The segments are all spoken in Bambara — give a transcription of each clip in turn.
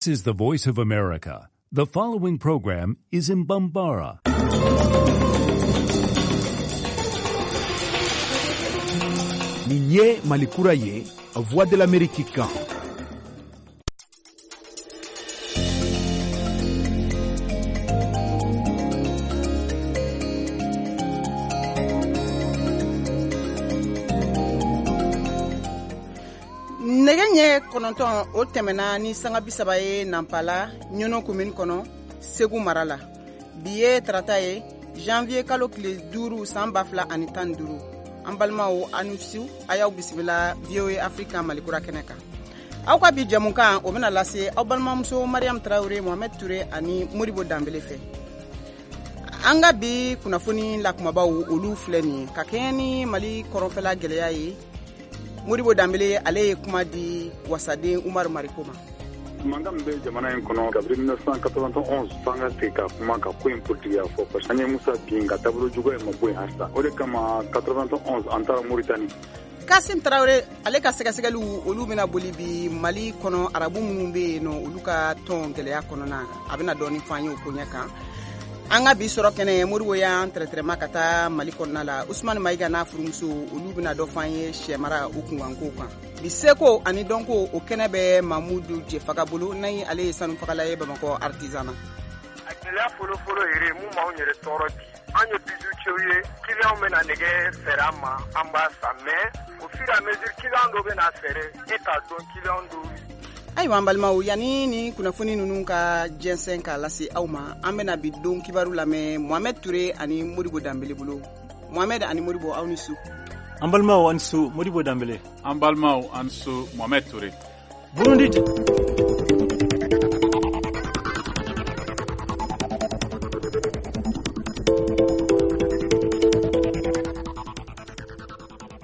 This is the Voice of America. The following program is in Bambara. Nin ye Mali kura ye, Voix de l'Amérique kan. Nɛgɛ ɲɛ 9 o tɛmɛna ni sanga 30 ye Nanpala Ɲɔnɔ commune kɔnɔ, Segu mara la. Bi ye tarata ye, janvier kalo tile 5 san 2015. An balimaw, aw ni su, a y'aw bisimila VOA Afrique Malikura kɛnɛ kan. Aw ka bi jɛmukan o bɛna lase aw balimamuso Mariam Traoré, Mohamed Touré ani Modibo Danbele fɛ. An ka bi kunnafoni la kumabaw olu filɛ nin ye, ka kɛɲɛ ni Mali kɔrɔnfɛla gɛlɛya ye. Modibo Danbele ale ye kuma di wasaden Umaru Mariko ma. Mankan min bɛ jamana in kɔnɔ kabini 1991, f'an ka segin ka kuma ka ko in politigiya fɔ, parce que an ye Musa bin ka taabolo juguya in ma bɔ yen halisa. O de kama 91 an taara Mauritanie. Kasim Traoré ale ka sɛgɛsɛgɛliw olu bɛna boli bi Mali kɔnɔ, arabu minnu bɛ yen nɔ olu ka tɔn gɛlɛya kɔnɔna, a bɛna dɔɔni fɔ an ye o koɲɛ kan. An ka bi sɔrɔ kɛnɛ, Modibo y'an tɛrɛtɛrɛma ka taa Mali kɔnɔna la. Usumani Mayiga n'a furumuso olu bɛna dɔ fɔ an ye sɛmara o kunkankow kan. Bi seko ani dɔnko o kɛnɛ bɛ Mamudu Jefaga bolo, n'a ale ye sanufagala ye Bamakɔ artisan na. A gɛlɛya fɔlɔfɔlɔ yɛrɛ mun b'anw yɛrɛ tɔɔrɔ bi, an ye bijoutier ye, client bɛna nɛgɛ feere an ma, an b'a san, mais au fur et à mesure client dɔ bɛna feere, e t'a dɔn client dɔw. Ayiwa an balimaw, yanni ni kunnafoni ninnu ka jɛnsɛn k'a lase aw ma, an bɛna bi don kibaru lamɛn Mohamed Touré ani Modibo Danbele bolo. Mohamed ani Modibo, aw ni su. An balimaw, an su Modibo Danbele. An balimaw, an su Mohamed Touré. Burundi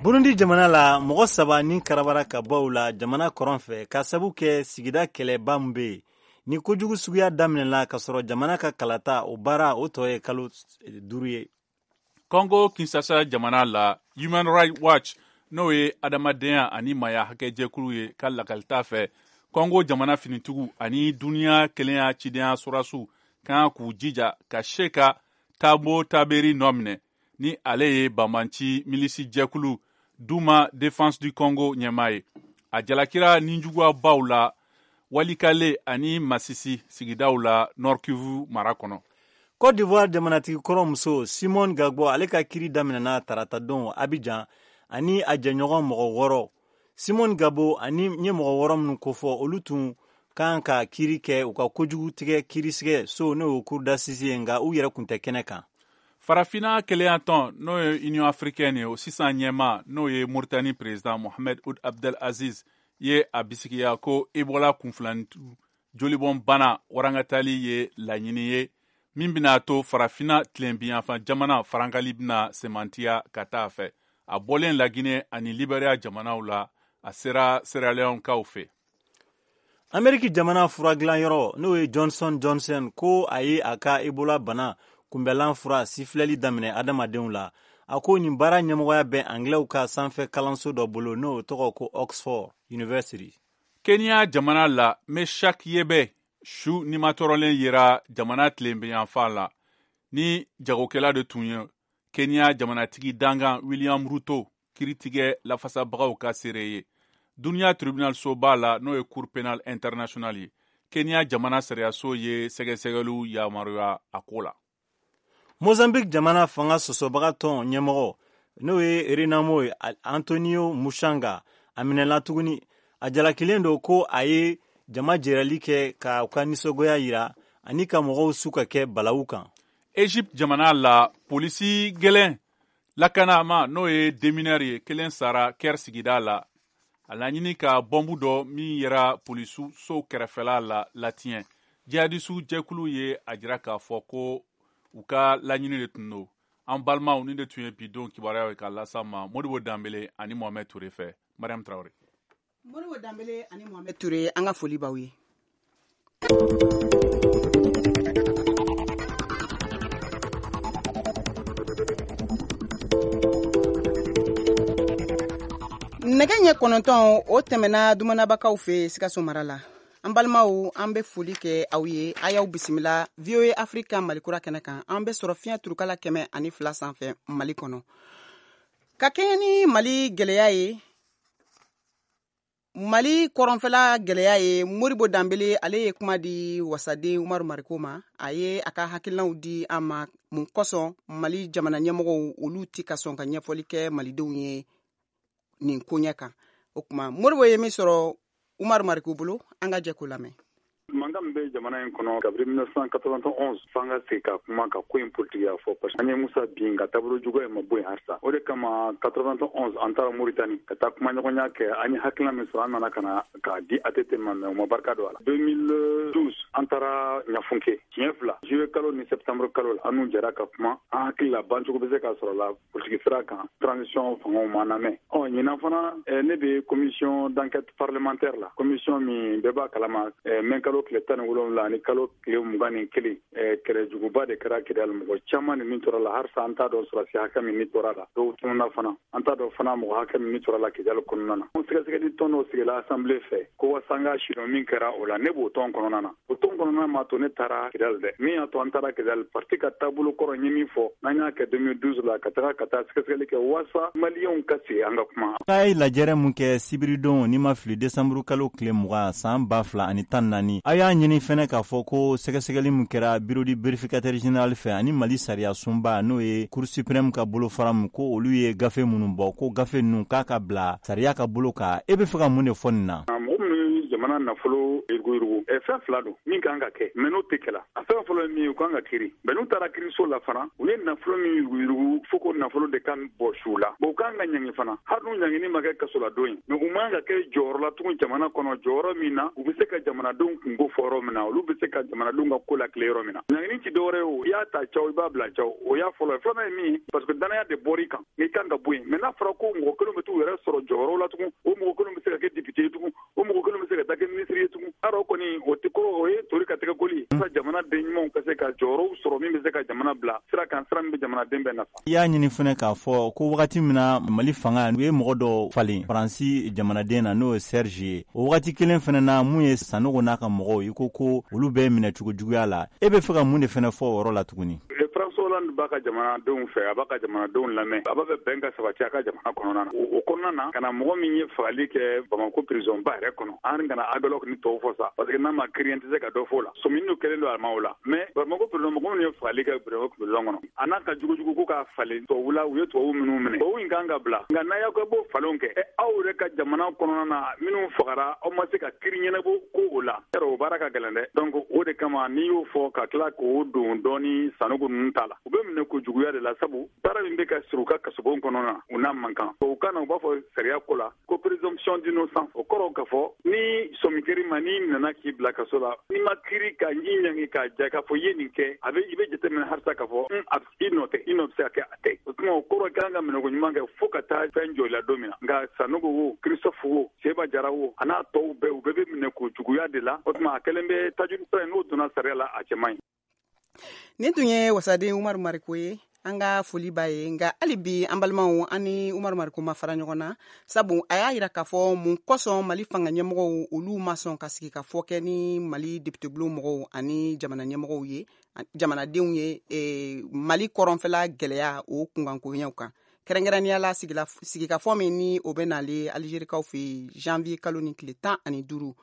Burundi jamana la, mɔgɔ 3 ni karabara ka bɔ u la jamana kɔrɔn fɛ ka sabu kɛ sigida kɛlɛba min bɛ yen. Ni kojugu suguya daminɛna ka sɔrɔ jamana ka kalata o baara o tɔ ye kalo 5 ye. Congo Kinshasa jamana la, Human Rights Watch n'o ye adamadenya ani maaya hakɛjɛkulu ye ka lakalita fɛ, Congo jamana finitigiw ani duniya kelenya cidenya sɔrɔdasiw kan k'u jija ka se ka Tabo Taberi nɔ minɛ, ni ale ye banbanci milisi jɛkulu Duma Défense du Congo ɲɛmaa ye. A jalakira ninjuguyabaw la Walikale ani Masisi sigidaw la Nord Kivu mara kɔnɔ. Côte d'Ivoire jamanatigi kɔrɔ muso Simone Gbagbo ale ka kiri daminɛna taratadon Abidjan ani a jɛɲɔgɔn mɔgɔ 6. Simone Gbagbo ani n ye mɔgɔ 6 minnu kofɔ, olu tun kan ka kiri kɛ u ka kojugu tigɛ kiirisigɛ so n'o ye cour d'assises ye, nka u yɛrɛ kun tɛ kɛnɛ kan. Farafinna kelenya tɔn n'o ye Union africaine ye, o sisan ɲɛmaa n'o ye Mauritanie président Mohamed Ould Abdel Aziz ye a bisigiya ko Ebola kunfilanintu jolibɔn bana warangatali ye laɲini ye min bɛna to farafinna tilenbinyanfan jamana farankali bɛna semantiya ka taa a fɛ. A bɔlen Laginɛ ani Liberia jamanaw la, a sera Sierra Leone kaw fɛ. Ameriki jamana furagilanyɔrɔ n'o ye Johnson Johnson ko a ye a ka Ebola bana kunbɛlan fura sifilɛli daminɛ adamadenw la. A ko nin baara ɲɛmɔgɔya bɛ Anglɛw ka sanfɛ kalanso dɔ bolo n'o tɔgɔ ko Oxford University. Kenya jamana la, Meshak Yebe su nimatɔrɔlen yera jamana tilenbinyanfan la ni jagokɛla de tun ye Kenya jamanatigi dangan William Ruto kiritigɛ lafasabagaw ka seere ye. Duniya tribunal soba la n'o ye Cour pénale internationale ye, Kenya jamana sariyaso ye sɛgɛsɛgɛliw yamaruya a ko la. Mozambique jamana fanga sɔsɔbaga tɔn ɲɛmɔgɔ n'o ye Renamo ye, Antonio Mushanga, a minɛla tuguni. A jalakilen don ko a ye jama jɛrɛli kɛ ka u ka nisɔngoya yira ani ka mɔgɔw su ka kɛ balawu kan. Egypte jamana la, polisi gɛlɛn lakanama n'o ye démineur ye, kelen sara Caire sigida la. A laɲini ka bɔnbu dɔ min yera polisiw so kɛrɛfɛla la latiɲɛ. Jihadisu jɛkulu ye a jira k'a fɔ ko u ka laɲini de tun don. An balimaw, ni de tun ye bi don kibaruyaw ye k'a las'an ma Modibo Danbele ani Mohamed Touré fɛ. Mariam Traoré. Modibo Danbele ani Mohamed Touré, an ka foli b'aw ye. Nɛgɛ ɲɛ 9 o tɛmɛna dumanabakaw fɛ Sikaso mara la. An balimaw, an bɛ foli kɛ aw ye. A y'aw bisimila VOA Afrique Malikura kɛnɛ kan. An bɛ sɔrɔ fiɲɛ turukala 102 sanfɛ Mali kɔnɔ. Ka kɛɲɛ ni Mali gɛlɛya ye, Mali kɔrɔnfɛla gɛlɛya ye, Modibo Danbele, ale ye kuma di wasaden Umaru Mariko ma. A ye a ka hakilinaw di an ma, mun kosɔn Mali jamana ɲɛmɔgɔw, olu ti ka sɔn ka ɲɛfɔli kɛ malidenw ye nin koɲɛ kan. O tuma, Modibo ye min sɔrɔ Umaru Mariko bolo, an ka jɛ k'o lamɛn. Mankan min bɛ jamana in kɔnɔ kabini 1991, f'an ka sigi ka kuma ka ko in politigiya fɔ, parce que an ye Musa bin, ka taabolo juguya in ma bɔ yen halisa. O de kama 91, an taara Moritani ka taa kumaɲɔgɔnya kɛ. An ye hakilina min sɔrɔ, an nana ka na k'a di ATT ma, mais u ma barika don a la. 2012, an taara Ɲafunke siɲɛ fila, juillet kalo ni septembre kalo la. An n'u jɛra ka kuma. An hakili la, bancogo bɛ se ka sɔrɔ la politiki sira kan. Transition fangaw ma lamɛn. Ɔ ɲinan fana, ne bɛ commission d'enquête parlementaire la, commission min bɛɛ b'a kalama, mɛ kalo tile 17 ani kalo tile 21, kɛlɛjuguba de kɛra Kidali. Mɔgɔ caman ni min tora la, halisa an t'a dɔn sɔrɔsi hakɛ min ni tora la. Dɔw tununa fana. An t'a dɔn fana mɔgɔ hakɛ min ni tora la Kidali kɔnɔna na. Sɛgɛsɛgɛli tɔn dɔ sigila assemblée fɛ ko wasa an ka sidɔn min kɛra o la. Ne b'o tɔn kɔnɔna na. O tɔn kɔnɔna ma to ne taara Kidali dɛ. Min y'a to an taara Kidali, parti ka taabolo kɔrɔ ye min fɔ, n'an y'a kɛ 2012 la, ka taga ka taa sɛgɛsɛgɛli kɛ wasa maliyɛnw ka sigi an ka kuma. A ye lajɛrɛ mun kɛ sibiridon, n'i ma fili, desanburu kalo tile 20 san 2014, a y'a ɲini fɛnɛ k'a fɔ ko sɛgɛsɛgɛli min kɛra bureau du vérificateur général fɛ ani Mali sariya sunba, n'o ye Cour suprême ka bolofara min, ko olu ye gafe minnu bɔ, ko gafe ninnu k'a ka bila sariya ka bolo kan. E bɛ fɛ ka mun de fɔ nin na? Mɔgɔ minnu ye jamana nafolo yuruguyurugu, fɛn fila don min kan ka kɛ, mais n'o tɛ kɛla. A fɛn fɔlɔ ye min ye, u kan ka kiri. Mais n'u taara kiriso la fana, u ye nafolo min yuruguyurugu, fo ko nafolo de kan bɔ su la. Bon, u kan ka ɲangi fana, hali n'u ɲangini ma kɛ kasoladon ye, mais u man ka kɛ jɔyɔrɔ la tugun jamana kɔnɔ, jɔyɔrɔ min na u bɛ se ka jamanadenw kunko fɔ yɔrɔ min na, olu bɛ se ka jamanadenw ka ko lakile yɔrɔ min na. Ɲangini ti dɔwɛrɛ ye o, i y'a ta caw, i b'a bila caw. O y'a fɔlɔ ye. Filanan ye min ye, parce que danaya de bɔr'i kan, n'i kan ka bɔ yen. Mais n'a fɔra ko mɔgɔ kelen bɛ t'u yɛrɛ sɔrɔ jɔyɔrɔ la tugun, o mɔgɔ kelen bɛ se ka kɛ député ye tugun, o mɔgɔ kelen bɛ se ka taa kɛ ministre ye tugun, yarɔ kɔni o tɛ kɔrɔ, o ye tori ka tɛgɛ koli ye. Jamana den ɲumanw ka se ka jɔyɔrɔw sɔrɔ min bɛ se ka jamana bila sira kan, sira min bɛ jamanaden bɛɛ nafa. I y'a ɲini fɛnɛ k'a fɔ ko wagati min na Mali fanga, u ye mɔgɔ dɔ falen Faransi jamanaden na, n'o ye Serge ye, o wagati kelen fɛnɛ na, mun ye Sanogo n'a ka mɔgɔw, i ko ko olu bɛ minɛ cogo juguya la. E bɛ fɛ ka mun de fɛnɛ fɔ o yɔrɔ la tuguni? François Hollande b'a ka jamanadenw fɛ, a b'a ka jamanadenw lamɛn, a b'a fɛ bɛn ka sabati a ka jamana kɔnɔna na. O kɔnɔna na, ka na mɔgɔ min ye fagali kɛ Bamako prison ba yɛrɛ kɔnɔ, an kana Aguelhok ni tɔw fɔ sa, parce que n'a ma kiiri, an tɛ se ka dɔ fɔ o la. Sɔmini kɛlen don a ma o la. Mais Bamako prison, mɔgɔ minnu ye fagali kɛ Bamako prison kɔnɔ, a n'a ka jugujugu ko k'a falen tubabu la, u ye tubabu minnu minɛ, tubabu in kan ka bila. Nka n'a y'aw kɛ b'o falenw kɛ, aw yɛrɛ ka jamana kɔnɔna na, minnu fagara, aw ma se ka kiiri ɲɛnabɔ ko o la, yarɔ o baara ka gɛlɛn dɛ. Donc o de kama, n'i y'o fɔ ka tila k'o don dɔɔni Sanogo ninnu ta la, u bɛ minɛ ko juguya de la, sabu baara min bɛ ka siri u ka kasobon kɔnɔ na, u n'a man kan. O kan na, u b'a fɔ sariya ko la ko présomption d'innocence. O kɔrɔ k'a fɔ ni sɔmi kɛr'i ma, n'i nana k'i bila kaso la, n'i ma kiiri ka i ɲangi k'a ja k'a fɔ i ye nin kɛ, a bɛ i bɛ jateminɛ halisa k'a fɔ i nɔ tɛ, i nɔ bɛ se ka kɛ a tɛ. O tuma, o kɔrɔ kan ka minɛko ɲuman kɛ fo ka taa fɛn jɔ i la don min na. Nka Sanogo wo, Christophe wo, Seba Jara wo, a n'a tɔw bɛɛ, u bɛɛ bɛ minɛ ko juguya de la. O tuma, a kɛlen bɛ tajuru sira ye, n'o donna sariya la, a cɛ man ɲi. Nin tun ye wasaden Umaru Mariko ye. An ka foli b'a ye. Nka hali bi, an balimaw, an ni Umaru Mariko ma fara ɲɔgɔn na, sabu a y'a yira k'a fɔ mun kosɔn Mali fanga ɲɛmɔgɔw, olu ma sɔn ka sigi ka fɔ kɛ ni Mali député bulon mɔgɔw ani jamana ɲɛmɔgɔw ye, jamanadenw ye, Mali kɔrɔnfɛla gɛlɛya o kunkankoɲɛw kan, kɛrɛnkɛrɛnnenya la sigikafɔ min ni o bɛ nale Alizerikaw fɛ yen janvier kalo ni tile 15.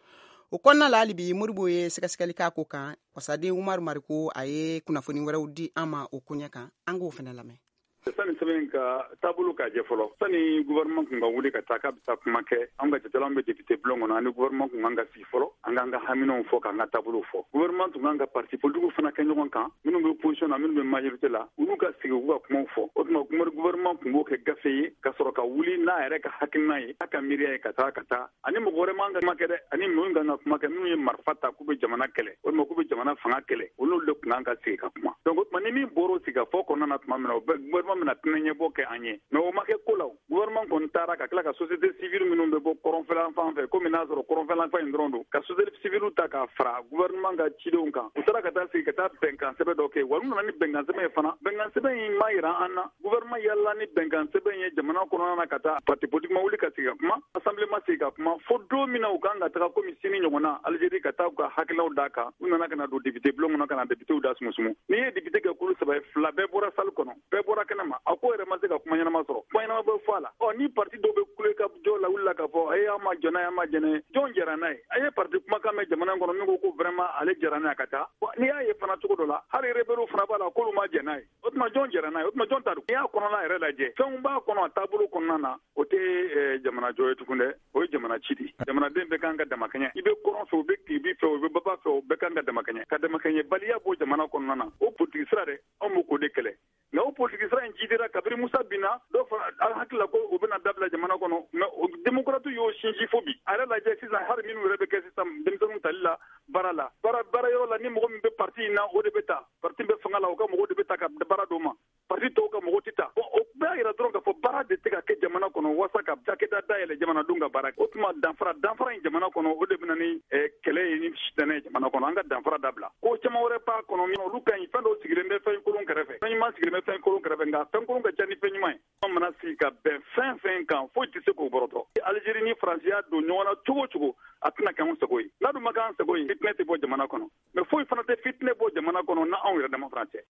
O kɔnɔna la, hali bi Modibo ye sɛgɛsɛgɛli k'a ko kan. Wasaden Umaru Mariko, a ye kunnafoni wɛrɛw di an ma o koɲɛ kan. An k'o fana lamɛn. Sani sɛbɛn ka taabolo k'a jɛ fɔlɔ, sani gouvernement kun ka wuli ka taa k'a bɛ taa kuma kɛ, an ka jatela, an bɛ député bulon kɔnɔ, ani gouvernement kun kan ka sigi fɔlɔ, an k'an ka haminaw fɔ, k'an ka taabolo fɔ. Gouvernement tun kan ka parti politique fana kɛ ɲɔgɔn kan, minnu bɛ opposition na, minnu bɛ majorité la, olu ka sigi, u ka kumaw fɔ. O tuma, gouvernement tun b'o kɛ gafe ye ka sɔrɔ ka wuli n'a yɛrɛ ka hakilina ye, n'a ka miiriya ye, ka taa ka taa ani mɔgɔ wɛrɛ man ka kuma kɛ dɛ, ani minnu kan ka kuma kɛ, minnu ye marifa ta k'u bɛ jamana kɛlɛ walima k'u bɛ jamana fanga kɛlɛ, olu de tun kan ka sigi ka kuma. Donc o tuma, ni min bɔra o sigikafɔ kɔnɔna na tuma min na, o bɛ gouvernement bɛna tɛnɛ ɲɛbɔ kɛ an ye. Mais o ma kɛ ko la. Gouvernement kɔni taara ka tila ka société civile minnu bɛ bɔ kɔrɔnfɛlan fan fɛ, komi n'a sɔrɔ kɔrɔnfɛlan fan in dɔrɔn don, ka société civile ta k'a fara gouvernement ka cidenw kan. U taara ka taa sigi ka taa bɛnkan sɛbɛn dɔ kɛ. Wa u nana ni bɛnkan sɛbɛn ye fana, bɛnkan sɛbɛn in ma yira an na. Gouvernement yalala ni bɛnkan sɛbɛn ye jamana kɔnɔna na ka taa parti politique ma wuli ka sigi ka kuma, assemblée ma sigi ka kuma, fo don min na u kan ka taga komi sini ɲɔgɔn na Algérie ka taa u ka hakililaw d'a kan. U nana ka na don député bulon kɔnɔ ka na députéw da sumusumu. N'i ye député kɛ kulu saba ye, fila bɛɛ bɔra salle kɔnɔ, bɛɛ bɔra kɛnɛ ma, a ko yɛrɛ ma se ka kuma ɲɛnama sɔrɔ, kuma ɲɛnama bɛ fɔ a la. Ɔ ni parti dɔw bɛ kule ka jɔ la wuli la k'a fɔ ayi, an ma jɛn n'a ye, an ma jɛn n'a ye, jɔn jɛra n'a ye? A ye parti kumakan mɛn jamana kɔnɔ min ko ko vraiment ale jɛra n'a ye ka taa. N'i y'a ye fana cogo dɔ la, hali rebelle fana b'a la k'olu ma jɛn n'a ye. O tuma jɔn jɛra n'a ye? O tuma jɔn ta don? N'i y'a kɔnɔna yɛrɛ lajɛ, fɛnw b'a kɔnɔ a taabolo kɔnɔna na, o tɛ jamana jɔ ye tugun dɛ, o ye jamana ci de. Jamanaden bɛɛ kan ka damakɛɲɛ. I bɛ kɔrɔn fɛ, o bɛ tilebin fɛ, o bɛ baba fɛ, o bɛɛ kan ka damakɛɲɛ. Ka damakɛɲɛbaliya bɔ jamana kɔnɔna na, o politiki sira dɛ, anw b'o k'o de kɛlɛ. Nka o politiki sira in jidira kabiri Musa binna, dɔw fana an hakili la ko o bɛna dabila jamana kɔnɔ, mais o démocrate y'o sinsin fo bi. A yɛrɛ lajɛ sisan, hali minnu yɛrɛ bɛ kɛ sisan denmisɛnninw tali la baara la, baara yɔrɔ la, ni mɔgɔ min bɛ parti in na, o de bɛ ta. Parti bɛ fanga la, o ka mɔgɔw de bɛ ta ka baara d'o ma, parti tɔw ka mɔgɔw tɛ ta. Bon, o bɛɛ yira dɔrɔn k'a fɔ baara de tɛ ka kɛ jamana kɔnɔ walasa ka cakɛda dayɛlɛ jamanadenw ka baara kɛ. O tuma danfara in jamana kɔnɔ, o de bɛ na ni kɛlɛ ye ni sitanɛ ye jamana kɔnɔ. An ka danfara dabila. Ko caman wɛrɛ b'a kɔnɔ min olu ka ɲi. Fɛn dɔw sigilen bɛ fɛn kolon kɛrɛfɛ, fɛn ɲuman sigilen bɛ fɛn kolon kɛrɛfɛ, nka fɛn kolon ka ca ni fɛn ɲuman ye. An mana sigi ka bɛn fɛn fɛn kan, foyi tɛ se k'o bɔrɔtɔ. Algérie ni Faransi y'a don ɲɔgɔn na cogo o cogo, a tɛna kɛ anw sago ye. N'a dun ma kɛ an sago ye, fitinɛ tɛ bɔ jamana kɔnɔ. Mais foyi fana tɛ fitinɛ bɔ jamana kɔnɔ na anw yɛrɛ dama fana cɛ.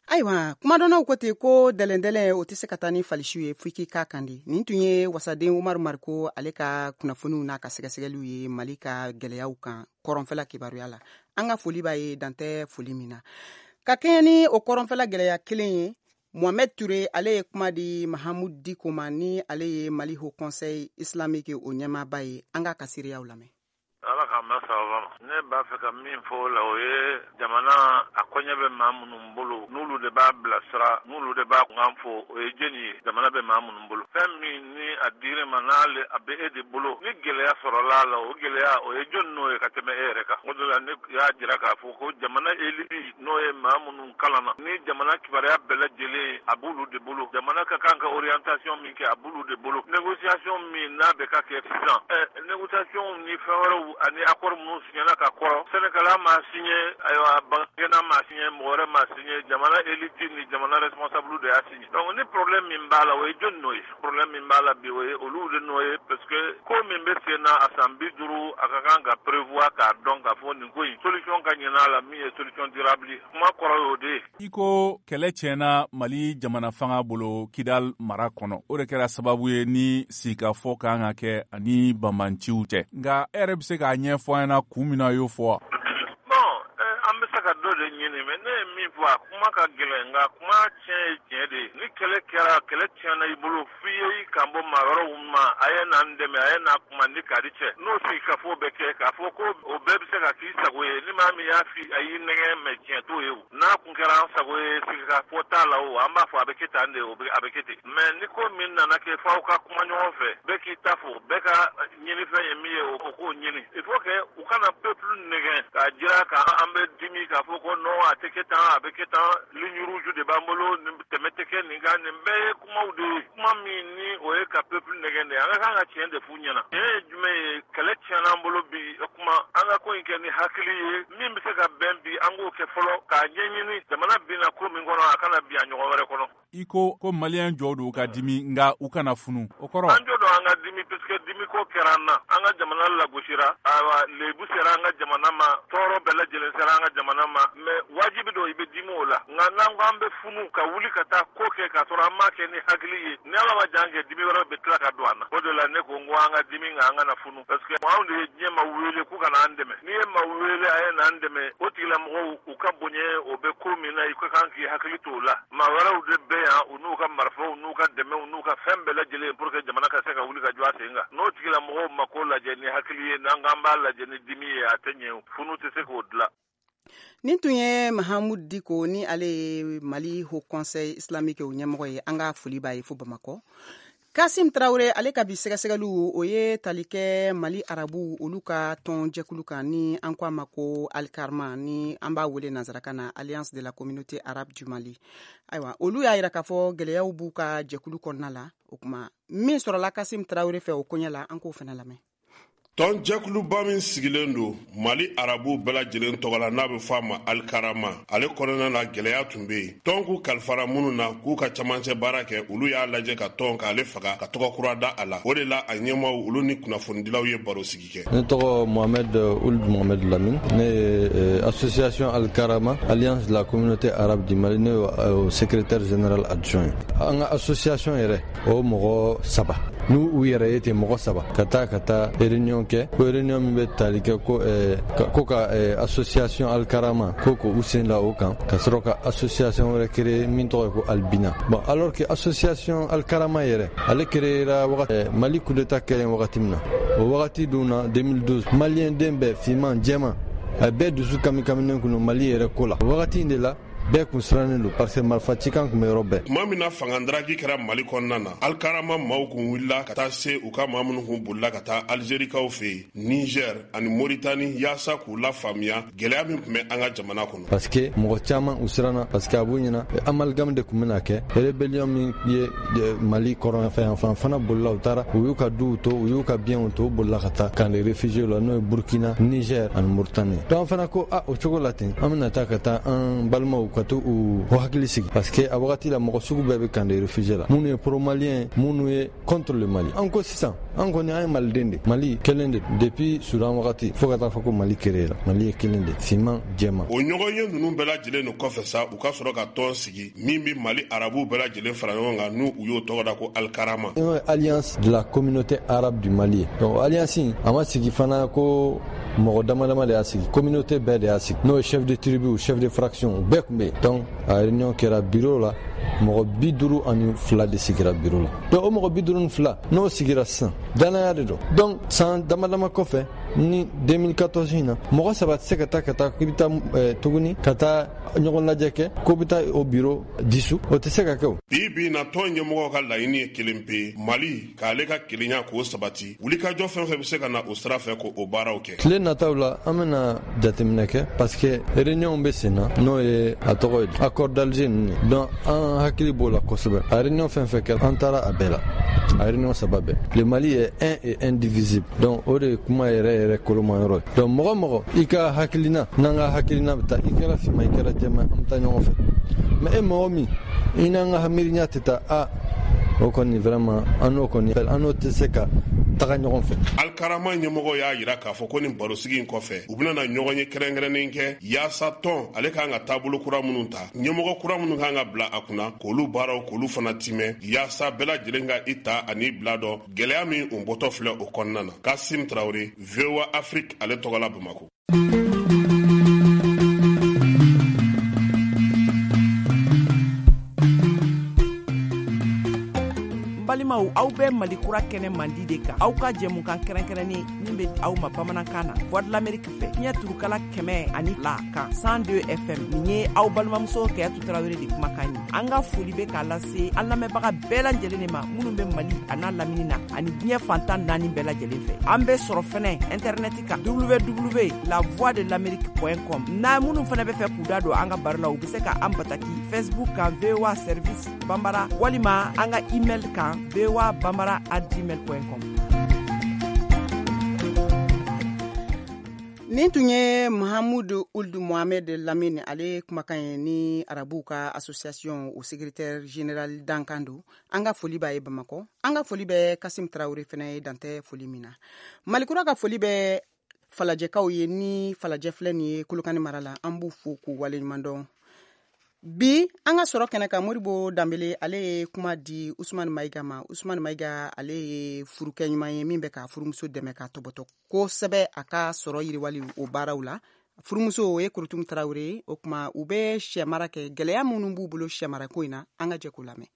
Ayiwa, kumadɔnnaw ko ten ko dɛlɛndɛlɛn o tɛ se ka taa ni falisiw ye, fo i k'i k'a kan di. Nin tun ye wasaden Umaru Mariko ale ka kunnafoniw n'a ka sɛgɛsɛgɛliw ye Mali ka gɛlɛyaw kan kɔrɔnfɛla kibaruya la. An ka foli b'a ye, dantɛ foli min na. Ka kɛɲɛ ni o kɔrɔnfɛla gɛlɛya kelen ye, Mohamed Touré ale ye kuma di Mahamud Diko ma, ni ale ye Mali Haut Conseil islamique o ɲɛmaaba ye. An k'a ka seereyaw lamɛn. Ala k'an bɛ sababa ma. Ne b'a fɛ ka min fɔ o la, o ye jamana a kɔɲɛ bɛ maa minnu bolo, n'olu de b'a bilasira, n'olu de b'a kunkan fɔ, o ye jɛni ye? Jamana bɛ maa minnu bolo, fɛn min ni a dir'i ma, n'ale a bɛ e de bolo, ni gɛlɛya sɔrɔla a la, o gɛlɛya o ye jɔni n'o ye ka tɛmɛ e yɛrɛ kan? O de la ne y'a jira k'a fɔ ko jamana élite, n'o ye maa minnu kalanna ni jamana kibaruya bɛɛ lajɛlen, a b'olu de bolo. Jamana ka kan ka orientation min kɛ, a b'olu de bolo. Négociation min n'a bɛ ka kɛ sisan, négociation ni fɛn wɛrɛw ani accord minnu signera ka kɔrɔ, Sénégal ma signé, ayiwa, Bankena ma signé, mɔgɔ wɛrɛ ma signé, jamana élite ni jamana responsable de y'a signé. Donc ni problème min b'a la, o ye jɔni n'o ye? Problème min b'a la bi, o ye olu de nɔ ye, parce que ko min bɛ sen na a san 50, a ka kan ka prévoir k'a dɔn k'a fɔ nin ko in solution ka ɲin'a la, min ye solution durable ye. Kuma kɔrɔ y'o de ye. I ko kɛlɛ tiɲɛna Mali jamana fanga bolo Kidal mara kɔnɔ, o de kɛra sababu ye ni sigikafɔ kan ka kɛ ani banbanciw cɛ. Nka e yɛrɛ bɛ se k'a ɲɛfɔ an ɲɛna kun min na y'o fɔ wa? Bon, an bɛ se ka dɔ de ɲini, mais ne ye min fɔ, a kuma ka gɛlɛn, nka kuma tiɲɛ ye tiɲɛ de ye. Ni kɛlɛ kɛra, kɛlɛ tiɲɛna i bolo, f'i ye i kan bɔ maa wɛrɛw ma, a ye n'an dɛmɛ, a ye n'a kuma ni kari cɛ, n'o sigikafɔ bɛ kɛ, k'a fɔ ko o bɛɛ bɛ se ka k'i sago ye. Ni maa min y'a fi a y'i nɛgɛn, mais tiɲɛ t'o ye. O n'a kun kɛra an sago ye, sigikafɔ t'a la, o an b'a fɔ a bɛ kɛ tan de, o a bɛ kɛ ten. Mais ni ko min nana kɛ f'aw ka kuma ɲɔgɔn fɛ, bɛɛ k'i ta fɔ, bɛɛ ka ɲinifɛn ye min ye, o k'o ɲini. Il faut que u kana peuple nɛgɛn k'a jira k'an bɛ dimi, k'a fɔ ko non, a tɛ kɛ tan, a bɛ kɛ tan, ligne rouge de b'an bolo, nin tɛmɛ tɛ kɛ nin kan. Nin bɛɛ ye kumaw de ye, kuma min ni o ye ka peuple nɛgɛn de. An ka kan ka tiɲɛ de f'u ɲɛna. Tiɲɛ ye jumɛn ye? Kɛlɛ tiɲɛna an bolo bi. O kuma, an ka ko in kɛ ni hakili ye. Min bɛ se ka bɛn bi, an k'o kɛ fɔlɔ k'a ɲɛɲini. Jamana binna ko min kɔnɔ, a kana bin a ɲɔgɔn wɛrɛ kɔnɔ. I ko ko Maliyɛn jɔ don ka dimi, nka u kana funu, o kɔrɔ? An jɔ don an ka dimi, puisque dimi ko kɛra an na. An ka jamana lagosira, ayiwa, lebu sera an ka jamana ma, tɔɔrɔ bɛɛ lajɛlen sera an ka jamana ma. Mais wajibi don i bɛ dimi o la. Nka n'an ko an bɛ funu ka wuli ka taa ko kɛ k'a sɔrɔ an m'a kɛ ni hakili ye, ni Ala ma jan kɛ, dimi wɛrɛ bɛ tila ka don an na. O de la ne ko n ko an ka dimi, nka an kana funu, parce que anw de ye diɲɛ ma wele k'u kana an dɛmɛ. N'i ye ma wele a ye n'an dɛmɛ, o tigilamɔgɔw u ka bonya, o bɛ ko min na, i ka kan k'i hakili to o la. Maa wɛrɛw de bɛ yan, u n'u ka marifaw n'u ka dɛmɛw n'u ka fɛn bɛɛ lajɛlen, pour que jamana ka se ka wuli ka jɔ a sen kan. N'o tigilamɔgɔw ma ko lajɛ ni hakili ye, n'an k'an b'a lajɛ ni dimi ye, a tɛ ɲɛ. Funu tɛ se k'o dilan. Nin tun ye Mahamud Diko, ni ale ye Mali Haut Conseil islamique o ɲɛmɔgɔ ye. An ka foli b'a ye fo Bamakɔ. Kasim Traoré ale ka bi sɛgɛsɛgɛliw o ye tali kɛ Mali arabu olu ka tɔn jɛkulu kan ni an ko a ma ko Alkarama ni an b'a wele nansarakan na Alliance de la communauté arabe du Mali. Ayiwa olu y'a yira k'a fɔ gɛlɛyaw b'u ka jɛkulu kɔnɔna la. O kuma min sɔrɔla Kasim Traoré fɛ o koɲɛ la, an k'o fana lamɛn. Tɔn jɛkuluba min sigilen don Mali arabu bɛɛ lajɛlen tɔgɔ la n'a bɛ fɔ a ma Alkarama, ale kɔnɔna na gɛlɛya tun bɛ yen. Tɔn k'u kalifara minnu na k'u ka camancɛ baara kɛ, olu y'a lajɛ ka tɔn k'ale faga ka tɔgɔ kura da a la. O de la a ɲɛmaaw olu ni kunnafonidilaw ye baro sigi kɛ. Ne tɔgɔ Mohamed Ould Mohamed Lamine, ne ye association Alkarama, Alliance de la communauté arabe du Mali, ne ye secrétaire général adjoint. An ka association yɛrɛ o mɔgɔ 3 n'u u yɛrɛ ye ten mɔgɔ 3 ka taa réunion kɛ, ko réunion min bɛ tali kɛ ko ka association Alkarama ko k'u sen da o kan ka sɔrɔ ka association wɛrɛ créer min tɔgɔ ye ko Albina. Bon, alors que association Alkarama yɛrɛ ale créera wagati Mali coup d'état kɛlen wagati min na, o wagati dun na 2012 malien den bɛɛ finman jɛman a bɛɛ dusu kamikaminen kun don Mali yɛrɛ ko la. O wagati in de la bɛɛ kun sirannen don parce que marifa cikan kun bɛ yɔrɔ bɛɛ. Tuma min na fangadaraki kɛra Mali kɔnɔna na, Alkarama maaw kun wulila ka taa se u ka maa minnu kun bolila ka taa Algerikaw fɛ yen, Niger ani Mauritanie, yaasa k'u lafaamuya gɛlɛya min tun bɛ an ka jamana kɔnɔ. Parce que mɔgɔ caman u siranna parce que a b'u ɲɛna amalgame de kun bɛna kɛ, rébellion min ye Mali kɔrɔnfɛ yan fan fana bolila, u taara u y'u ka duw to, u y'u ka biens to, u bolila ka taa camp de réfugiés la n'o ye Burkina, Niger ani Mauritanie. Donc an fana ko o cogo la ten an bɛna taa ka taa an balimaw ka to u hakili sigi parce que a wagati la mɔgɔ sugu bɛɛ bɛ camp de réfugiés la, minnu ye pro malien, minnu ye contre le Mali. An ko sisan an kɔni an ye maliden de, Mali kelen de depuis Sudan wagati fo ka taa fɔ ko Mali créé la, Mali ye kelen de, finman jɛman. O ɲɔgɔn ye ninnu bɛɛ lajɛlen nin kɔfɛ sa, u ka sɔrɔ ka tɔn sigi min bɛ Mali arabu bɛɛ lajɛlen fara ɲɔgɔn kan, n'u u y'o tɔgɔ da ko Alkarama. N'o ye Alliance de la communauté arabe du Mali. Donc alliance a ma sigi fana ko mɔgɔ dama dama de y'a sigi, communauté bɛɛ de y'a sigi, n'o ye chef de tribu, chef de fraction, bɛɛ tun bɛ yen. Donc a réunion kɛra bureau la, mɔgɔ 52 de sigira bureau la. Donc o mɔgɔ 52 n'o sigira sisan, danaya de don. Donc san dama dama kɔfɛ ni 2014 in na, mɔgɔ 3 tɛ se ka taa k'i bɛ taa tuguni ka taa ɲɔgɔn lajɛ kɛ ko bɛ taa o bureau dissous, o tɛ se ka kɛ o. Bi bi in na tɔn ɲɛmɔgɔw ka laɲini ye kelen pe, Mali k'ale ka kelenya k'o sabati, wulikajɔ fɛn fɛn bɛ se ka na o sira fɛ k'o baaraw kɛ. Tile nataw la an bɛna jateminɛ kɛ parce que réunion bɛ sen na, n'o ye a tɔgɔ ye accord d'Alger ninnu ye. Donc an hakili b'o la kosɛbɛ. A réunion fɛn fɛn kɛra, an taara a bɛɛ la, a réunion 3 bɛɛ. Le Mali est un et indivisible. Donc o de ye kuma yɛrɛ yɛrɛ koloma yɔrɔ ye. Donc mɔgɔ i ka hakilina n'an ka hakilina bɛ taa, i kɛra finman i kɛra jɛman, an bɛ taa ɲɔgɔn fɛ. Mais e mɔgɔ min i n'an ka miiriya tɛ taa, o kɔni vraiment an n'o kɔni an n'o tɛ se ka taga ɲɔgɔn fɛ. Alkarama ɲɛmɔgɔ y'a yira k'a fɔ ko nin barosigi in kɔfɛ, u bɛna na ɲɔgɔn ye kɛrɛnkɛrɛnnen kɛ yaasa tɔn ale kan ka taabolo kura minnu ta, ɲɛmɔgɔ kura minnu kan ka bila a kunna, k'olu baaraw k'olu fana timɛ, yaasa bɛɛ lajɛlen ka i ta ani bila dɔn gɛlɛya min o bɔtɔ filɛ o kɔnɔna na. Kasim Traoré, VOA Afrique ale tɔgɔ la Bamakɔ. Balimaw, aw bɛ Mali kura kɛnɛ mandi de kan, aw ka jɛmukan kɛrɛnkɛrɛnnen min bɛ aw ma bamanankan na Voix de l'Amérique fɛ, fiɲɛ turukala 102 kan 102 FM. Nin ye aw balimamuso Kayatu Tarawele de kumakan ye. An ka foli bɛ k'a lase an lamɛnbaga bɛɛ lajɛlen de ma minnu bɛ Mali a n'a lamini na ani diɲɛ fantan 4 bɛɛ lajɛlen fɛ. An bɛ sɔrɔ fɛnɛ internet kan www.lavoixdelamerique.com. N'a minnu fɛnɛ bɛ fɛ k'u da don an ka baro la, u bɛ se ka an bataki Facebook kan VOA Service Bambara walima an ka email kan voabambara@gmail.com. Nin tun ye Mahamudu Ould Mohamed Lamine ale kumakan ye ni arabuw ka association o secrétaire général dankan don. An ka foli b'a ye Bamakɔ. An ka foli bɛ Kasim Traoré fɛnɛ ye dantɛ foli min na. Malikura ka foli bɛ falajɛkaw ye ni falajɛ filɛ nin ye Kolokani mara la, an b'u fo k'u waleɲuman dɔn. Bi an ka sɔrɔ kɛnɛ kan, Modibo Danbele ale ye kuma di Usumani Mayiga ma. Usumani Mayiga ale ye furukɛ ɲuman ye min bɛ ka furumuso dɛmɛ ka tɔbɔtɔ kosɛbɛ a ka sɔrɔ yiriwali o baaraw la. Furumuso o ye Kurutum Tarawele ye. O kuma u bɛ sɛmara kɛ, gɛlɛya minnu b'u bolo sɛmarako in na, an ka jɛ k'o lamɛn.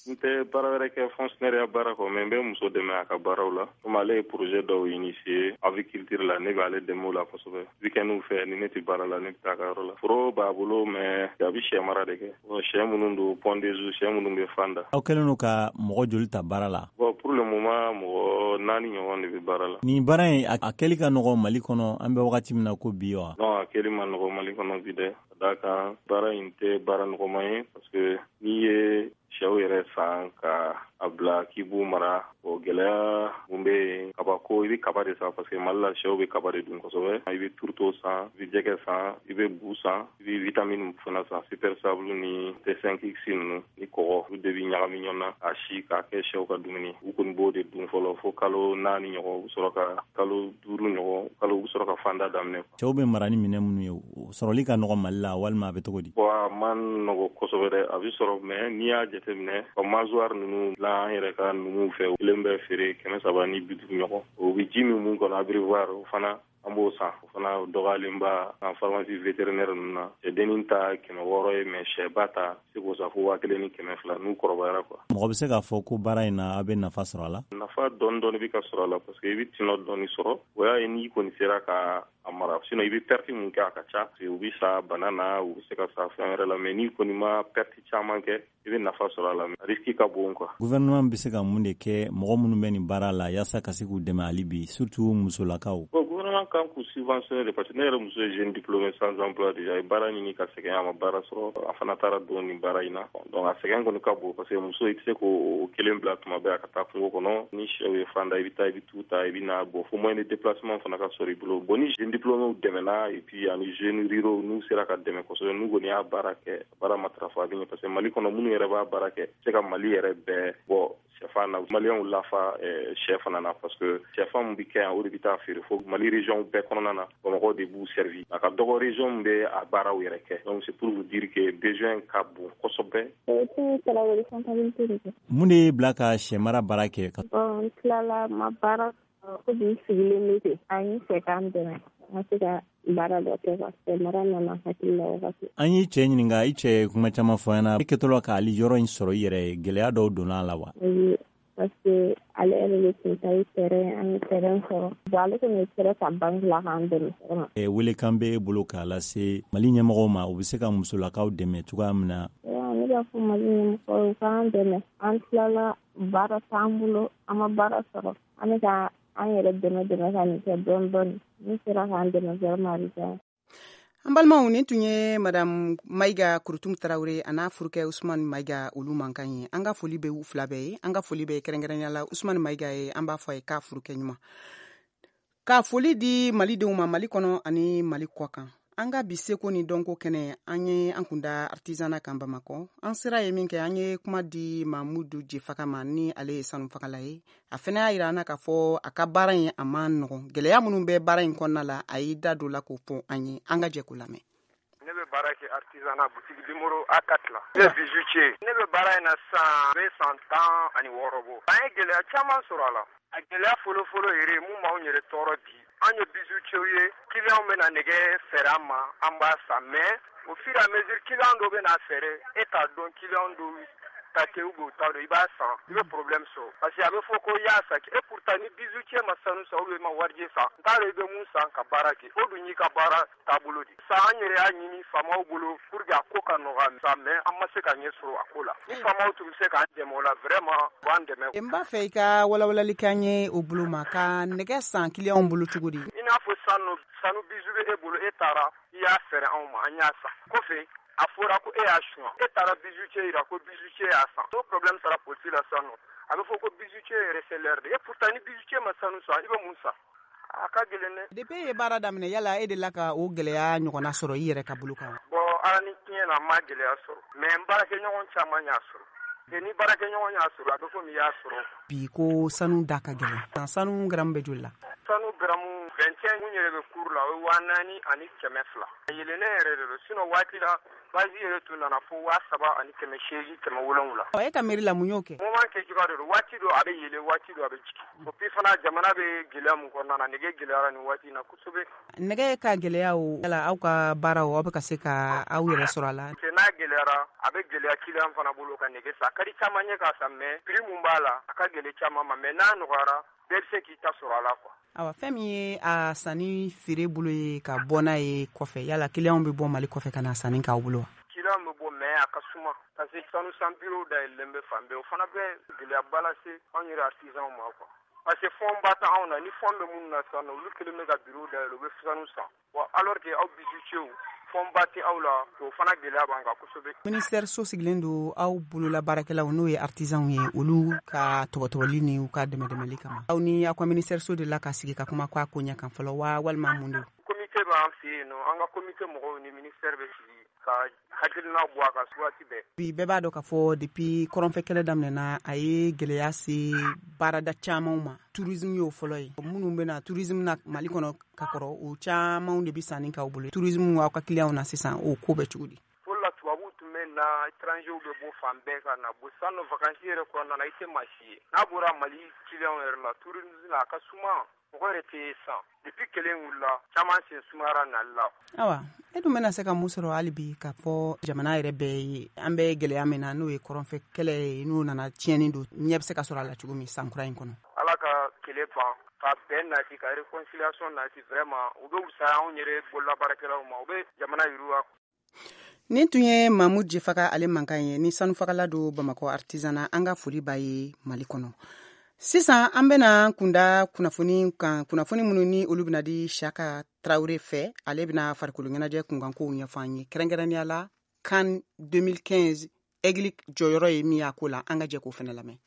N tɛ baara wɛrɛ kɛ fonctionnaire ya baara kɔ, mais n bɛ muso dɛmɛ a ka baaraw la. Komi ale ye projet dɔw initier aviculture la, ne bɛ ale dɛmɛ o la kosɛbɛ. Week-end fɛ, ni ne tɛ baara la, ne bɛ taa a ka yɔrɔ la. Foro b'a bolo, mais a bɛ sɛ mara de kɛ. Bon, sɛ minnu don, pondeuse, sɛ minnu bɛ fan da. Aw kɛlen don ka mɔgɔ joli ta baara la? Bon, pour le moment, mɔgɔ 4 ɲɔgɔn de bɛ baara la. Nin baara in, a kɛli ka nɔgɔn Mali kɔnɔ an bɛ wagati min na ko bi wa? Non, a kɛli ma nɔgɔn Mali kɔnɔ bi dɛ. Ka d'a kan, baara in tɛ baara nɔgɔman ye, parce que n'i ye sɛw yɛrɛ san ka a bila k'i b'u mara, o gɛlɛya mun bɛ yen, kabako, i bɛ kaba de san, parce que Mali la sɛw bɛ kaba de dun kosɛbɛ. I bɛ tourteau san, i bɛ jɛgɛ san, i bɛ bu san, i bɛ vitamine fana san, super sable ni T5X ninnu ni kɔgɔ, olu de bɛ ɲagami ɲɔgɔn na a si k'a kɛ sɛw ka dumuni. U kɔni b'o de dun fɔlɔ fo kalo 4 ɲɔgɔn, u bɛ sɔrɔ ka kalo 5 ɲɔgɔn, kalo u bɛ sɔrɔ ka fanda daminɛ. Cɛw bɛ mara ni minɛn minnu ye, o sɔrɔli ka nɔgɔn Mali la walima a bɛ cogo di? Bon, a man nɔgɔ kosɛbɛ dɛ, a bɛ sɔrɔ, mais n'i y'a jateminɛ, ka mangeoire ninnu la an yɛrɛ ka numuw fɛ, kelen bɛ feere 350 ɲɔgɔn. O bɛ ji min mun kɔnɔ, abreuvoir, o fana an b'o san, o fana dɔgɔyalenba an pharmacie vétérinaire ninnu na. Sɛdennin ta 600 ye, mais sɛba ta se k'o san fo 1200 n'u kɔrɔbayara quoi. Mɔgɔ bɛ se k'a fɔ ko baara in na, a bɛ nafa sɔrɔ a la? Nafa dɔɔni dɔɔni bɛ ka sɔrɔ a la, parce que i bɛ tɔnɔ dɔɔni sɔrɔ. O y'a ye n'i kɔni sera ka a mara, sinon i bɛ perte mun kɛ, a ka ca. U bɛ sa bana na, u bɛ se ka sa fɛn wɛrɛ la, mais n'i kɔni ma perte caman kɛ, i bɛ nafa sɔrɔ a la, risque ka bon quoi. Gouvernement bɛ se ka mun de kɛ mɔgɔ minnu bɛ nin baara la yaasa ka se k'u dɛmɛ hali bi, surtout musolakaw? Bon, gouvernement kan k'u subventionner de, parce que ne yɛrɛ muso ye jeune diplômé sans emploi déjà, a ye baara ɲini ka sɛgɛn, a ma baara sɔrɔ, a fana taara don nin baara in na. Donc a sɛgɛn kɔni ka bon, parce que muso i tɛ se k'o kelen bila tuma bɛɛ a ka taa kungo kɔnɔ. Ni sɛw ye fan da, i bɛ taa, i bɛ t'u ta, i bɛ na. Bon, fo moyen de déplacement fana ka sɔrɔ i bolo. Bon, ni jeune diplômé dɛmɛna, et puis ani jeunes ruraux n'u sera ka dɛmɛ kosɛbɛ, n'u kɔni y'a baara kɛ, baara matarafa, a bɛ ɲɛ, parce que Mali kɔnɔ minnu yɛrɛ b'a baara kɛ, se ka Mali yɛrɛ bɛɛ bɔ sɛfan na, Maliyɛnw lafa sɛ fana na, parce que sɛfan min bɛ kɛ yan, o de bɛ taa feere fo Mali région bɛɛ kɔnɔna na. Bamakɔ de b'u servi, a ka dɔgɔ région min bɛ a baaraw yɛrɛ kɛ. Donc c'est pour vous dire que besoin ka bon kosɛbɛ. Mun de y'i bila ka sɛ mara baara kɛ? N tilala, ma baara sɔrɔ, ko bi sigilen bɛ ten. A ye n fɛ k'an dɛmɛ, n ka se ka baara dɔ kɛ, ka sɛ mara nana hakili la wagati. An y'i cɛ ɲininka, i cɛ ye kuma caman fɔ an ɲɛna. I kɛtɔ la k'ale yɔrɔ in sɔrɔ i yɛrɛ ye, gɛlɛya dɔw donna a la wa? Oui, parce que ale yɛrɛ de tun ta ye terrain, an ye terrain sɔrɔ. Bon, ale kɔni ye terrain ta banque la k'an dɛmɛ vraiment. Welekan bɛ e bolo k'a lase Mali ɲɛmɔgɔw ma, u bɛ se ka musolakaw dɛmɛ cogoya min na? Ne b'a fɔ Mali ɲɛmɔgɔw ye k'an dɛmɛ. An tilala, baara t'an bolo, an ma baara sɔrɔ. An bɛ ka an yɛrɛ dɛmɛ dɛmɛ ka nin kɛ dɔɔni dɔɔni. N'u sera k'an dɛmɛ vraiment, a bɛ diya. An balimaw, nin tun ye Madame Mayiga Kurutum Tarawele a n'a furukɛ Usumani Mayiga, olu mankan ye. An ka foli bɛ u fila bɛɛ ye. An ka foli bɛ kɛrɛnkɛrɛnnenya la Usumani Mayiga ye, an b'a fɔ a ye k'a furukɛ ɲuman. Ka foli di Malidenw ma Mali kɔnɔ ani Mali kɔ kan. An ka bi seko ni dɔnko kɛnɛ, an ye an kunda artisanat kan Bamakɔ. An sera ye min kɛ, an ye kuma di Mamudu Jefaka ma, ni ale ye sanufagala ye. A fana y'a yira an na k'a fɔ a ka baara in a man nɔgɔn, gɛlɛya minnu bɛ baara in kɔnɔna la, a y'i da don la k'o fɔ an ye. An ka jɛ k'o lamɛn. Ne bɛ baara kɛ artisanat boutique numéro A4 la. Ne ye bijoutier. Ne bɛ baara in na sisan, n bɛ san 16 bɔ. An ye gɛlɛya caman sɔrɔ a la. A gɛlɛya fɔlɔfɔlɔ yɛrɛ mun b'anw yɛrɛ tɔɔrɔ bi, an ye bijoutier ye, client bɛna nɛgɛ feere an ma, an b'a san, mais au fur et à mesure client dɔ bɛna feere, e t'a dɔn client dɔw ta tɛ ou bien u t'a dɔn, i b'a san, i bɛ problème sɔrɔ, parce que a bɛ fɔ ko i y'a san, et pourtant ni bijoutier ma sanu san ou bien ma warijɛ san, n t'a dɔn i bɛ mun san ka baara kɛ, o dun y'i ka baara taabolo de. San an yɛrɛ y'a ɲini faamaw bolo pour que a ko ka nɔgɔya sa, mais an ma se ka ɲɛ sɔrɔ a ko la. Ni faamaw tun bɛ se k'an dɛmɛ o la, vraiment u b'an dɛmɛ. N b'a fɛ i ka walawalali k'an ye o bolo ma, ka nɛgɛ san client bolo cogo di? I n'a fɔ sanu bijou bɛ e bolo, e taara i y'a feere anw ma, an y'a san. Kɔfɛ a fɔra ko e y'a suɲɛ, e taara bijoutier yira ko bijoutier y'a san. N'o problème sera polisi la sisan nɔ, a bɛ fɔ ko bijoutier ye receleur de ye, et pourtant ni bijoutier ma sanu san, i bɛ mun san? A ka gɛlɛn dɛ. Depuis e ye baara daminɛ, yala e delila ka o gɛlɛya ɲɔgɔnna sɔrɔ i yɛrɛ ka bolo kan? Bon, ala ni tiɲɛ na, n ma gɛlɛya sɔrɔ, mais n baarakɛɲɔgɔn caman y'a sɔrɔ. Ni baarakɛɲɔgɔn y'a sɔrɔ, a bɛ komi i y'a sɔrɔ. Bi ko sanu da ka gɛlɛn. Sanu garamu bɛ joli la? Sanu garamu 21 mun yɛrɛ bɛ cours la, o ye 4200. A yɛlɛnnen yɛrɛ de don, sinon waati la Basi yɛrɛ tun nana fo 3800 700. E ka miiri la, mun y'o kɛ? Moment kɛ cogoya de don. Waati dɔ a bɛ yɛlɛ, waati dɔ a bɛ jigin. O puis fana, jamana bɛ gɛlɛya mun kɔnɔna na, nɛgɛ gɛlɛyara nin waati in na kosɛbɛ. Nɛgɛ ka gɛlɛya o, yala aw ka baaraw, aw bɛ ka se ka aw yɛrɛ sɔrɔ a la? N'a gɛlɛyara, a bɛ gɛlɛya client fana bolo ka nɛgɛ san. A ka di caman ye k'a san, mais prix mun b'a la, a ka gɛlɛn caman ma. Mais n'a nɔgɔyara, bɛɛ bɛ se k'i ta sɔrɔ a la quoi. Awa, fɛn min ye a sanni feere bolo ye ka bɔ n'a ye kɔfɛ, yala kiliyanw bɛ bɔ Mali kɔfɛ ka na sanni k'aw bolo wa? Kiliyanw bɛ bɔ, mais a ka suma, parce que sanu san bureau dayɛlɛlen bɛ fan bɛɛ. O fana bɛ gɛlɛyaba lase anw yɛrɛ artisanw ma quoi, parce que fonds ba tɛ anw na. Ni fonds bɛ minnu na sisan nɔ, olu kelen bɛ ka bureau dayɛlɛ, u bɛ sanu san. Bon, alors que aw bijoutiers, fonds ba tɛ aw la, o fana gɛlɛya b'an kan kosɛbɛ. Ministère so sigilen don aw bolola baarakɛlaw, n'o ye artisanw ye, olu ka tɔbɔtɔbɔli ni u ka dɛmɛdɛmɛli kama. Aw ni aw ka ministère so de la ka sigi ka kuma k'a ko ɲɛ kan fɔlɔ wa, walima mun don? Comité b'an fɛ yen nɔ. An ka comité mɔgɔw ni ministère bɛ sigi ka hakilina bɔ a kan waati bɛɛ. Bi, bɛɛ b'a dɔn k'a fɔ depuis kɔrɔnfɛ kɛlɛ daminɛna, a ye gɛlɛya se baarada camanw ma. Tourisme y'o fɔlɔ ye. Minnu bɛna tourisme na Mali kɔnɔ ka kɔrɔ, o camanw de bɛ sanni k'aw bolo. Tourisme, aw ka clients na sisan, o ko bɛ cogo di? Fɔlɔ la, tubabuw tun bɛ na, étrangers bɛ bɔ fan bɛɛ ka na. Bon, sisan nɔ, vacances yɛrɛ kɔnɔna na, i tɛ maa si ye n'a bɔra Mali clients yɛrɛ la. Tourisme la, a ka suma, mɔgɔ yɛrɛ tɛ san. Depuis kɛlɛ in wulila, caman sen sumayara nali la. Awa, e dun bɛna se ka mun sɔrɔ hali bi k'a fɔ jamana yɛrɛ bɛɛ ye, an bɛ gɛlɛya min na, n'o ye kɔrɔnfɛ kɛlɛ ye, n'o nana tiɲɛni don, ɲɛ bɛ se ka sɔrɔ a la cogo min san kura in kɔnɔ? Ala ka kɛlɛ ban, ka bɛn nati, ka réconciliation nati. Vraiment, u bɛ wusaya anw yɛrɛ bololabaarakɛlaw ma, u bɛ jamana yiriwa. Nin tun ye Mamu Jefaga ale mankan ye, ni sanufagala don Bamakɔ artisanat. An ka foli b'a ye Mali kɔnɔ. Sisan an bɛna kunda kunnafoni kan, kunnafoni minnu ni olu bɛna di Saka Tarawele fɛ. Ale bɛna farikolo ɲɛnajɛ kunkankow ɲɛfɔ an ye, kɛrɛnkɛrɛnnenya la CAN 2015, Aigle jɔyɔrɔ ye min y'a ko la. An ka jɛ k'o fana lamɛn.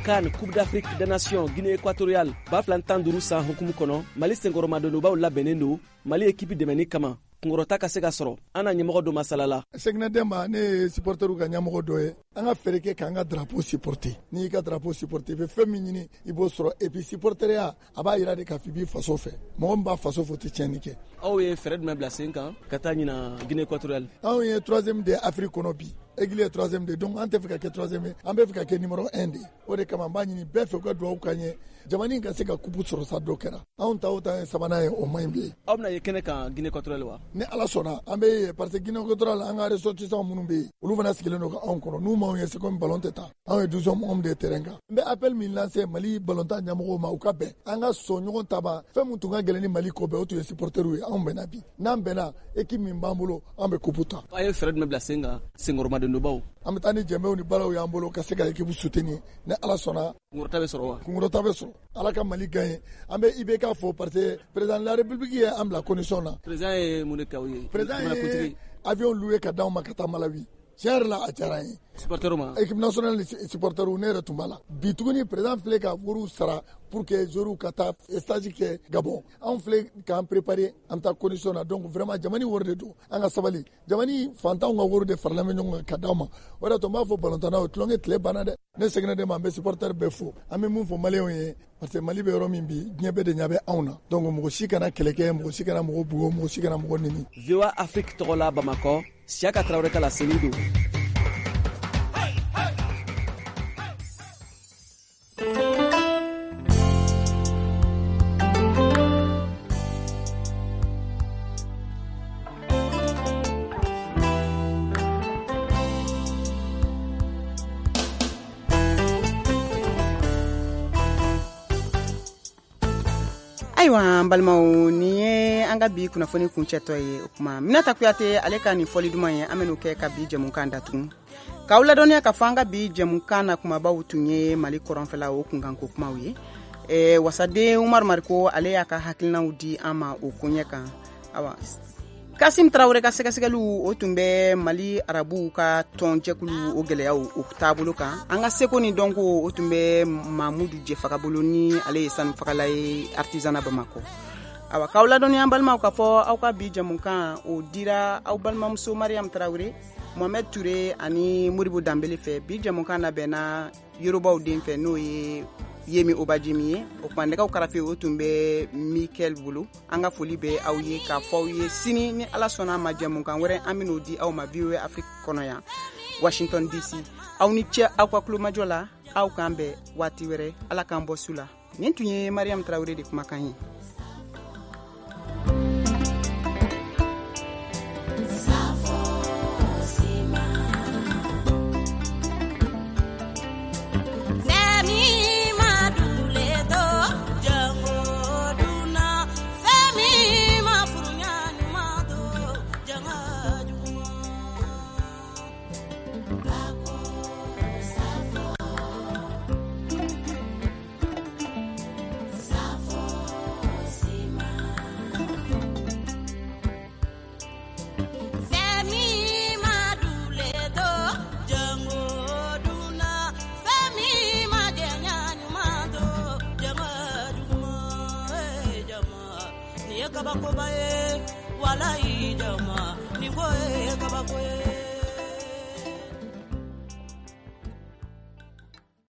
CAN, Coupe d'Afrique des Nations Guinée équatoriale 2015 san hukumu kɔnɔ, Mali senkɔrɔmadonbaw labɛnnen don Mali ekipi dɛmɛni kama, kunkɔrɔta ka se ka sɔrɔ. An na ɲɛmɔgɔ dɔ masala la. Sɛginɛ Denba, ne ye supporterw ka ɲɛmɔgɔ dɔ ye. An ka fɛɛrɛ kɛ k'an ka drapeau supporter. N'i y'i ka drapeau supporter, i bɛ fɛn min ɲini, i b'o sɔrɔ. Et puis supporteriya, a b'a yira de k'a fɔ i b'i faso fɛ. Mɔgɔ min b'a faso fɛ, o tɛ tiɲɛni kɛ. Aw ye fɛɛrɛ jumɛn bila sen kan ka taa ɲina Guinée équatoriale? Anw ye troisième de Afrique kɔnɔ bi. Aigle ye troisième de, donc an tɛ fɛ ka kɛ troisième ye, an bɛ fɛ ka kɛ numéro 1 de. O de kama, an b'a ɲini bɛɛ fɛ, u ka dugawu k'an ye, jamana ka se ka coupe sɔrɔ sa. Dɔ kɛra anw ta o ta ye sabanan ye, o man ɲi bilen. Aw bɛna ye kɛnɛ kan Guinée équatoriale wa? Ni Ala sɔnna, an bɛ yen, parce que Guinée équatoriale, an ka ressortissants minnu bɛ yen, olu fana sigilen don ka anw kɔnɔ. N'u m'anw ye, c'est comme ballon tɛ taa. Anw ye douzième homme de terrain kan. N bɛ appel min lancer Mali ballontan ɲɛmɔgɔw ma, u ka bɛn, an ka sɔn ɲɔgɔn ta ma. Fɛn min tun ka gɛlɛn ni Mali ko bɛɛ, o tun ye supporteriw ye. Anw bɛnna bi, n'an bɛnna, équipe min b'an bolo, an bɛ coupe ta. Aw ye fɛɛrɛ jumɛn bila sen kan, senkɔrɔmadonbaw? An bɛ taa ni jɛmɛw ni balaw y'an bolo ka se ka équipe soutenir. Ni Ala sɔnna, kunkɔrɔta bɛ sɔrɔ wa? Kunkɔrɔta bɛ sɔrɔ. Ala ka Mali gagner. An bɛ IBK fo, parce que président de la République ye an bila condition na. Président ye mun de k'aw ye? Président ye avion loué ka d'anw ma ka taa Malawi. Tiɲɛ yɛrɛ la, a diyara an ye. Supporter ma? Équipe nationale ni supporter, ne yɛrɛ tun b'a la. Bi tuguni, président filɛ ka wariw sara pour que joueurs ka taa stage kɛ Gabon. Anw filɛ k'an préparer, an bɛ taa condition na. Donc vraiment, jamana wari de don, an ka sabali. Jamana fantanw ka wari de faralen bɛ ɲɔgɔn kan ka d'aw ma. O de y'a to n b'a fɔ balontannaw ye, tulonkɛ tile banna dɛ. Ne seginna de ma, an bɛ supporter bɛɛ fo. An bɛ mun fɔ maliyɛnw ye, parce que Mali bɛ yɔrɔ min bi, diɲɛ bɛɛ de ɲɛ bɛ anw na. Donc mɔgɔ si kana kɛlɛ kɛ, mɔgɔ si kana mɔgɔ bugɔ, mɔgɔ si kana mɔgɔ neni. VOA Afrique tɔgɔ la Bamakɔ, Siaka Tarawele ka laseli don. Ayiwa, an balimaw, nin ye an ka bi kunnafoni kuncɛtɔ ye. O kuma, Minata Kuyate ale ka nin fɔli duman ye, an ben'o kɛ ka bi jɛmukan datugu, k'aw ladɔnniya k'a fɔ an ka bi jɛmukan na kumabaw tun ye Mali kɔrɔnfɛla o kunkanko kumaw ye. Wasaden Umaru Mariko, ale y'a ka hakilinaw di an ma o koɲɛ kan. Awa, Kasim Tarawele ka sɛgɛsɛgɛliw, o tun bɛ Mali arabuw ka tɔnjɛkulu o gɛlɛyaw o taabolo kan. An ka seko ni dɔnko, o tun bɛ Mamudu Jefaga bolo, ni ale ye sanufagala ye artisanat Bamakɔ. Awa, k'aw ladɔnniya, an balimaw, k'a fɔ aw ka bi jɛmukan o dira aw balimamuso Mariam Tarawele, Mohamed Touré ani Moribo Danbele fɛ. Bi jɛmukan labɛnna Yorobaw den fɛ, n'o ye Yemi Obajimi ye. O tuma nɛgɛw karafe, o tun bɛ Mikel bolo. An ka foli bɛ aw ye k'a fɔ aw ye, sini ni Ala sɔnna a ma, jɛmukan wɛrɛ, an bɛn'o di aw ma VOA Afrique kɔnɔ yan, Washington DC. Aw ni ce aw ka kulomajɔ la. Aw k'an bɛn waati wɛrɛ. Ala k'an bɔ su la. Nin tun ye Mariam Tarawele de kumakan ye. Kabakoba ye, walayi jama ni ko ye kabako ye.